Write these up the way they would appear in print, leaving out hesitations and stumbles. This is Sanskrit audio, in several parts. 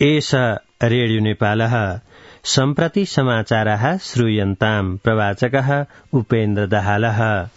एष रेडियो नेपालः सम्प्रति समाचारः श्रूयन्ताम् प्रवाचकः उपेन्द्र दाहालः।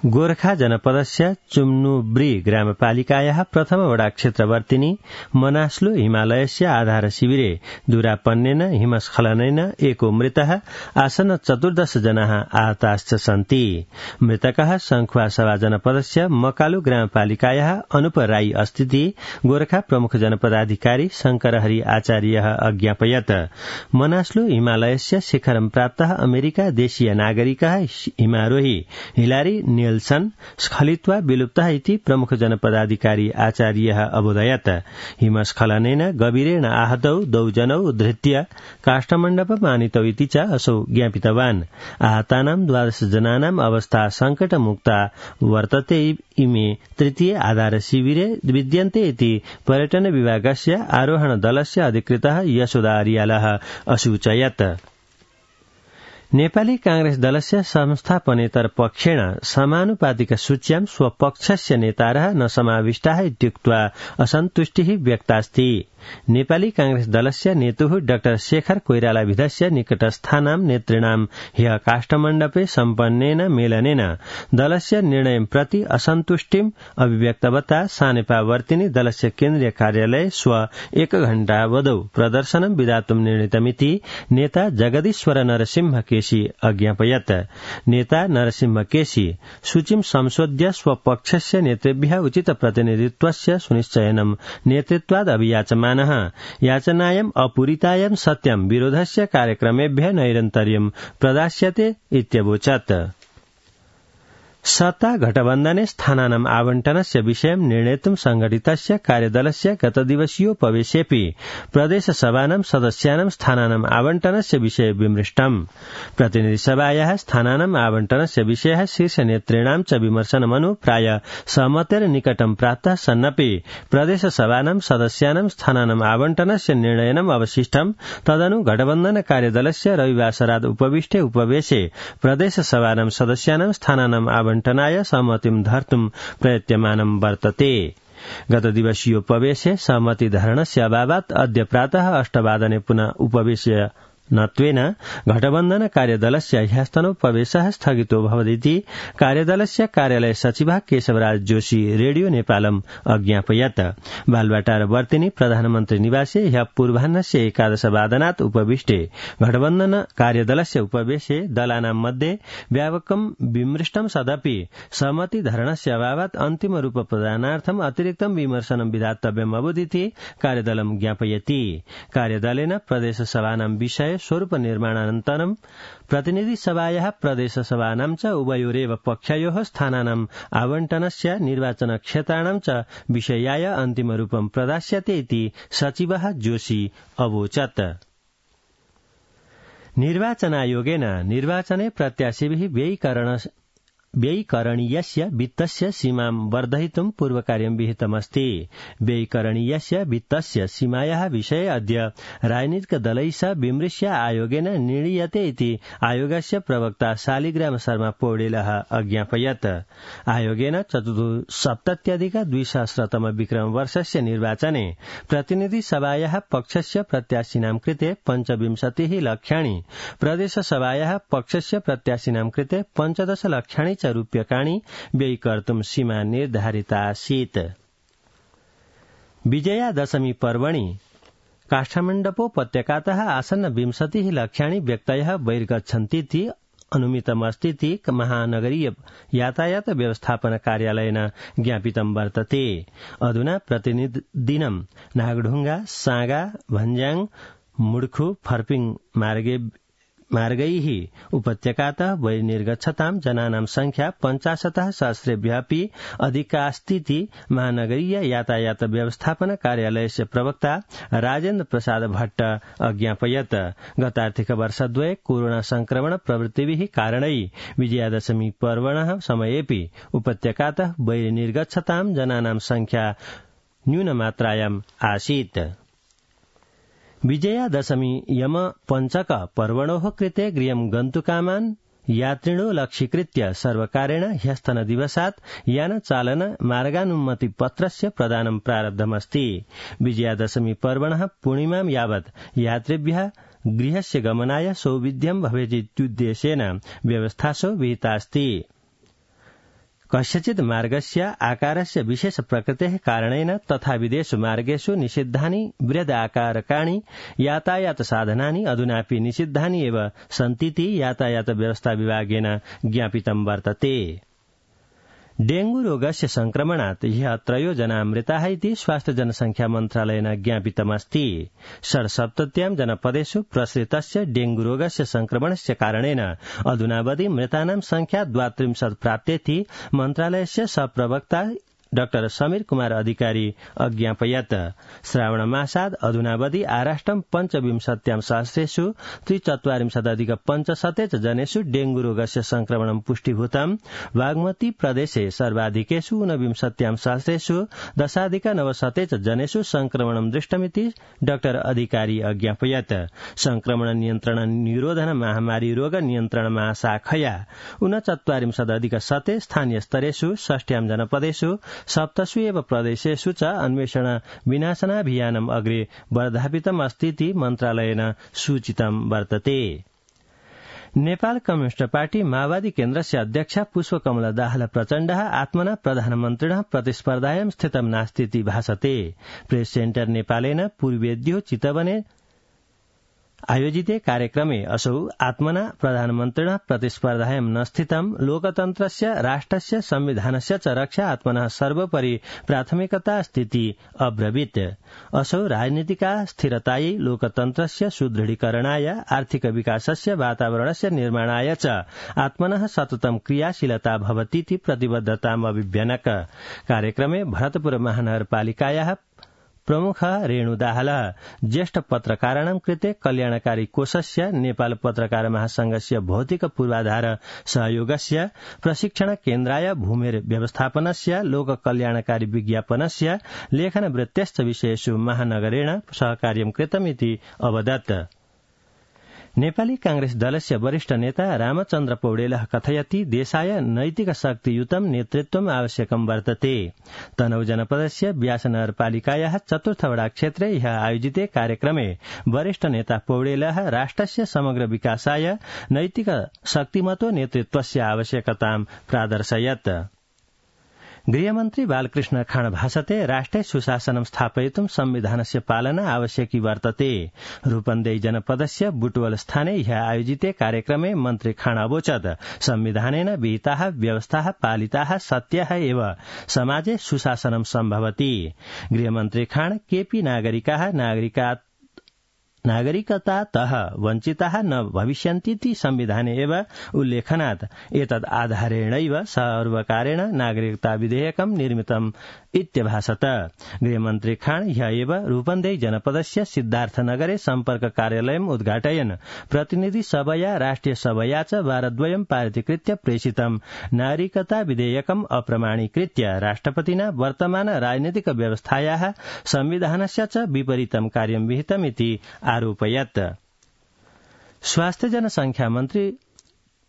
गोर्खा जनपदस्य चुम्नुब्री ग्रामपालिकायाः प्रथम वडा क्षेत्रवर्तिनी मनास्लो हिमालयस्य आधार शिविरे दुरापन्नेन हिमस्खलनेन एको मृतः आसन्न 14 जनाः आहताश्च सन्ति। मृतकः संखुवासभा जनपदस्य मकालु ग्रामपालिकायाः अनुप राई अस्थिति गोर्खा प्रमुख जनपदाधिकारी शंकरहरि आचार्यः अज्ञापयत्। मनास्लो हिमालयस्य शिखरं प्राप्तः अमेरिका देशीय नागरिकः हिमारोही हिलारी सन स्खलित्वा विलुप्तः इति प्रमुख जनपदाधिकारी आचार्यः अबोधयत्। हिमस्खलनेन गभीरेण आहतौ 2 जनौ उद्धृत्य काष्ठमण्डपम् आनीतौ इति च असौ ज्ञापितवान्। आहतानां 12 जनानाम् अवस्था संकटमुक्ता वर्तते। इमे तृतीय आधार शिविरे विद्यन्ते इति पर्यटन विभागस्य आरोहण दलस्य अधिकृतः यशोदा अर्यालः असूचयत्। नेपाली कांग्रेस दलस्य संस्थापनेतर पक्षेण समानुपातिक सूच्यां स्वपक्षस्य नेतारः न समाविष्टाः इत्युक्त्वा असन्तुष्टिः व्यक्तास्ति। नेपाली कांग्रेस दलस्य नेतुः डाक्टर शेखर कोइरालाभिधस्य निकटस्थानां नेतृणां ह्यः काष्ठमण्डपे सम्पन्नेन मेलनेन दलस्य निर्णयं प्रति असन्तुष्टिम् अभिव्यक्तवता सानेपावर्तिनी दलस्य केन्द्रीय कार्यालये स्व 1 घण्टावधौ प्रदर्शनं विधातुं निर्णीतमिति नेता जगदीश्वर नरसिंह केसी अज्ञापयत्। नेता नरसिंह केसी सूचीं संशोध्य स्वपक्षस्य नेतृभ्यः उचित प्रतिनिधित्वस्य सुनिश्चयनं नेतृत्वाद् अभियाचमानः। याचनायाम् अपूरितायां सत्यं विरोधस्य कार्यक्रमेभ्यः नैरन्तर्यं प्रदास्यते इत्यवोचत्। सत्ता गठबन्धने स्थानानाम् आवण्टनस्य विषयं निर्णेतुं संघटितस्य कार्यदलस्य गतदिवसीयोपवेशेऽपि प्रदेशसभानां सदस्यानां स्थानानाम् आवण्टनस्य विषये विमृष्टम्। प्रतिनिधिसभायाः स्थानानाम् आवण्टनस्य विषयः शीर्षनेतॄणां च विमर्शनमनु प्राय सहमतेर निकटं प्राप्तः सन्नपि प्रदेशसभानां सदस्यानां स्थानानाम् आवण्टनस्य निर्णयनम् अवशिष्टम्। तदनु गठबन्धन कार्यदलस्य रविवासरात् उपविष्टे उपवेशे प्रदेशसभानां सदस्यानां स्थानानाम् आवण्टनाय सहमतिं धर्तुं प्रयत्यमानं वर्तते। गतदिवसीयोपवेशे सहमतिधारणस्य अभावात् अद्य प्रातः 8 वादने पुनः उपवेशय नत्वेन घटबन्धन कार्यदलस्य ह्यस्तनोपवेशः स्थगितो भवदिति कार्यदलस्य कार्यालय सचिवः केशवराज जोशी रेडियो नेपालम् अज्ञापयत्। बालवाटार वर्तिनी प्रधानमन्त्री निवासे ह्यः पूर्वाह्नस्य 11 वादनात् उपविष्टे घटबन्धन कार्यदलस्य उपवेशे दलानां मध्ये व्यापकं विमृष्टं सदपि सहमतिधारणस्य अभावात् अन्तिमरूप प्रदानार्थम् अतिरिक्तं विमर्शनं विधातव्यम् अबुदिति कार्यदलं ज्ञापयति। कार्यदलेन प्रदेशसभानां विषये स्वरूप निर्माणानन्तरं प्रतिनिधिसभायाः प्रदेशसभानां च उभयोरेव पक्षयोः स्थानानाम् आवण्टनस्य निर्वाचनक्षेत्राणां च विषयाय अन्तिमरूपं प्रदास्यते इति सचिवः जोशी अवोचत्। निर्वाचनायोगेन निर्वाचने प्रत्याशिभिः व्ययीकरणीयस्य वित्तस्य सीमां वर्धयितुं पूर्वकार्यं विहितमस्ति। व्ययीकरणीयस्य वित्तस्य सीमायाः विषये अद्य राजनीतिकदलैः सह विमृश्य आयोगेन निर्णीयते इति आयोगस्य प्रवक्ता शालिग्राम शर्मा पौडेलः अज्ञापयत्। आयोगेन 74,200तम विक्रमवर्षस्य निर्वाचने प्रतिनिधिसभायाः पक्षस्य प्रत्याशिनां कृते 25 लक्षाणि, प्रदेशसभायाः पक्षस्य प्रत्याशिनां कृते 15 लक्षाणि रूप्यकाणि व्ययीकर्तुं सीमा निर्धारिता आसीत्। विजयादशमी पर्वणि काष्ठमण्डपोपत्यकातः आसन्न 20 लक्षाणि व्यक्तयः बहिर्गच्छन्तीति अनुमितमस्तीति महानगरीय यातायात व्यवस्थापन कार्यालयेन ज्ञापितं वर्तते। अधुना प्रतिदिनं नागढुङ्गा, सागा, भन्ज्याङ, मुड्खु, फर्पिङ मार्गैः उपत्यकातः बहिर्निर्गच्छतां जनानां संख्या 50 सहस्रेभ्यः अपि अधिकास्तीति महानगरीय यातायात व्यवस्थापन कार्यालयस्य प्रवक्ता राजेन्द्र प्रसाद भट्ट अज्ञापयत्। गतार्थिक वर्षद्वये कोरोना संक्रमण प्रवृत्तिभिः कारणैः विजयादशमी पर्वणः समयेऽपि उपत्यकातः बहिर्निर्गच्छतां जनानां संख्या न्यूनमात्रायाम् आसीत्। विजयादशमी यम पञ्चक पर्वणोः कृते गृहं गन्तुकामान् यात्रिणो लक्ष्यीकृत्य सर्वकारेण ह्यस्तनदिवसात् यानचालन मार्गानुमति पत्रस्य प्रदानं प्रारब्धमस्ति। विजयादशमी पर्वणः पूर्णिमां यावत् यात्रिभ्यः गृहस्य गमनाय सौविध्यं भवेदित्युद्देशेन व्यवस्थासु विहितास्ति। कस्यचित् मार्गस्य आकारस्य विशेष प्रकृतेः कारणेन तथा विदेशु मार्गेषु निषिद्धानि बृहदाकारकाणि यातायात साधनानि अधुनापि निषिद्धानि एव सन्तीति यातायात व्यवस्था विभागेन ज्ञापितं वर्तते। डेंगू रोगस्य संक्रमणात् ह्यः 3 जना मृताः इति स्वास्थ्य जनसंख्या मन्त्रालयेन ज्ञापितमस्ति। 67 जनपदेषु प्रसृतस्य डेंगू रोगस्य संक्रमणस्य कारणेन अधुनावधि मृतानां संख्या 32 प्राप्तेति मन्त्रालयस्य सहप्रवक्ता डॉ समीर कुमार अधिकारी अज्ञापयत्। श्रावणमासाद् अधुनावधि आराष्ट्रं 25 सहस्रेषु 43,500 जनेषु डेंगू रोगस्य संक्रमणं पुष्टिभूतम्। बागमती प्रदेशे सर्वाधिकेषु 49 सहस्रेषु 10,900 जनेषु संक्रमणं दृष्टमिति डॉ अधिकारी अज्ञापयत्। संक्रमण नियन्त्रण निरोधन महामारी रोग नियन्त्रण महाशाखया 39,000 स्थानीय स्तरेषु 60 जनपदेषु 7 एव प्रदेशेषु च अन्वेषण विनाशनाभियानम् अग्रे वर्धापितम् अस्तीति मन्त्रालयेन सूचितं वर्तते। नेपाल कम्युनिस्ट पार्टी माओवादी केन्द्रस्य अध्यक्ष पुष्पकमल दाहाल प्रचण्डः आत्मना प्रधानमन्त्रिणः प्रतिस्पर्धायां स्थितं नास्तीति भासते। प्रेस सेन्टर नेपालेन पूर्वेद्यो चितवने आयोजिते कार्यक्रमे असौ आत्मना प्रधानमन्त्रिणः प्रतिस्पर्धायां न स्थितं लोकतन्त्रस्य राष्ट्रस्य संविधानस्य च रक्षा आत्मनः सर्वोपरि प्राथमिकता अस्तीति अब्रवीत्। असौ राजनीतिका स्थिरतायै लोकतन्त्रस्य सुदृढीकरणाय आर्थिक विकासस्य वातावरणस्य निर्माणाय च आत्मनः सततं क्रियाशीलता भवतीति प्रतिबद्धताम् अभिव्यनक। कार्यक्रमे भरतपुर महानगरपालिकायाः प्रमुख रेणु दाहाल ज्येष्ठ पत्रकाराणां कृते कल्याणकारी कोषस्य नेपाल पत्रकार महासंघस्य भौतिक पूर्वाधार सहयोगस्य प्रशिक्षण केन्द्राय भूमेर व्यवस्थापनस्य लोक कल्याणकारी विज्ञापनस्य लेखन वृत्त्यश्च विषयेषु महानगरेण सहकार्यं कृतमिति अवदत्। नेपाली कांग्रेस दलस्य वरिष्ठ नेता रामचन्द्र पौडेलः कथयति देशाय नैतिक शक्तियुतं नेतृत्वम् आवश्यकं वर्तते। तनहु जनपदस्य व्यास नगरपालिकायाः 4 वडा क्षेत्रे ह्यः आयोजिते कार्यक्रमे वरिष्ठ नेता पौडेलः राष्ट्रस्य समग्र विकासाय नैतिक शक्तिमतो नेतृत्वस्य आवश्यकतां प्रादर्शयत्। गृहमन्त्री बालकृष्ण खाँड भाषते राष्ट्रे सुशासनं स्थापयितुं संविधानस्य पालना आवश्यकी वर्तते। रूपन्देही जनपदस्य बुटवल स्थाने ह्यः आयोजिते कार्यक्रमे मन्त्री खाँड अवोचत् संविधानेन विहिताः व्यवस्थाः पालिताः सत्याः एव समाजे सुशासनं सम्भवति। गृहमन्त्री खाँड केपि नागरिकाः नागरिकतातः वञ्चिताः न भविष्यन्तीति संविधाने एव उल्लेखनात् एतद् आधारेणैव सर्वकारेण नागरिकता विधेयकं निर्मितम् इत्यभासत। गृहमन्त्री खाँड ह्यः एव रूपन्देही जनपदस्य सिद्धार्थनगरे सम्पर्क कार्यालयम् उद्घाटयन् प्रतिनिधि सभया राष्ट्रिय सभया च वारद्वयं पारितीकृत्य प्रेषितं नागरिकता विधेयकम् अप्रमाणीकृत्य राष्ट्रपतिना वर्तमान राजनीतिक व्यवस्थायाः संविधानस्य च विपरीतं कार्यं विहितमिति आरोपयत्। स्वास्थ्य जनसंख्या मन्त्री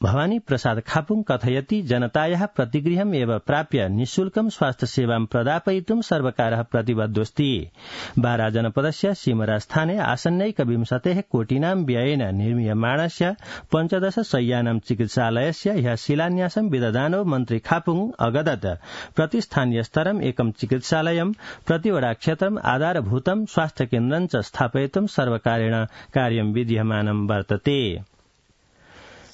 भवानी प्रसाद खापुङ कथयति जनतायाः प्रतिगृहम् एव प्राप्य निःशुल्कं स्वास्थ्य सेवां प्रदापयितुं सर्वकारः प्रतिबद्धोऽस्ति। बारा जनपदस्य सिमरा स्थाने आसन्नैकविंशतेः कोटिनां व्ययेन निर्मीयमाणस्य 15 शय्यानां चिकित्सालयस्य ह्यः शिलान्यासं विदधानो मन्त्री खापुङ अगदत्। प्रतिस्थानीय स्तरम् एकं चिकित्सालयं प्रतिवडा क्षेत्रम् आधारभूतं स्वास्थ्य केन्द्रं च स्थापयितुं सर्वकारेण कार्यं विधीयमानं वर्तते।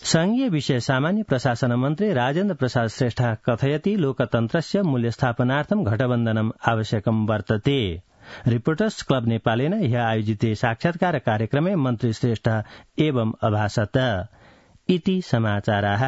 संघीय विषय सामान्य प्रशासन मन्त्री राजेन्द्र प्रसाद श्रेष्ठः कथयति लोकतन्त्रस्य मूल्यस्थापनार्थं घटबन्धनम् आवश्यकं वर्तते। रिपोर्टर्स क्लब नेपालेन ह्यः आयोजिते साक्षात्कार कार्यक्रमे मन्त्री श्रेष्ठः एवं अभाषत। इति समाचाराः।